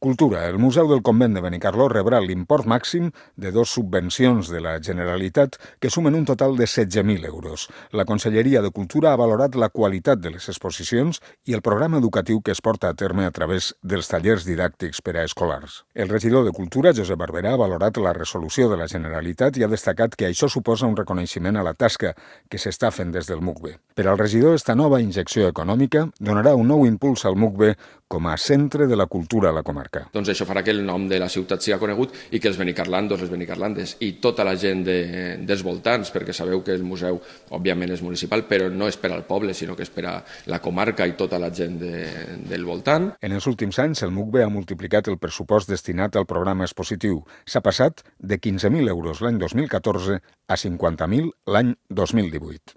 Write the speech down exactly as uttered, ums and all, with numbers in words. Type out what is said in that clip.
Cultura. El Museu del Convent de Benicarló rebrà l'import màxim de dos subvencions de la Generalitat que sumen un total de setze mil euros. La Conselleria de Cultura ha valorat la qualitat de les exposicions i el programa educatiu que es porta a terme a través dels tallers didàctics per a escolars. El regidor de Cultura, Josep Barberà, ha valorat la resolució de la Generalitat i ha destacat que això suposa un reconeixement a la tasca que s'està fent des del M U C B. Per al regidor, esta nova injecció econòmica donarà un nou impuls al M U C B com a centre de la cultura a la comarca. Doncs això farà que el nom de la ciutat sigui conegut i que els benicarlandos, les benicarlandes i tota la gent de, dels voltants, perquè sabeu que el museu, òbviament, és municipal, però no és per al poble, sinó que és per a la comarca i tota la gent de, del voltant. En els últims anys, el M U C B ha multiplicat el pressupost destinat al programa expositiu. S'ha passat de quinze mil euros l'any dos mil catorze a cinquanta mil l'any dos mil divuit.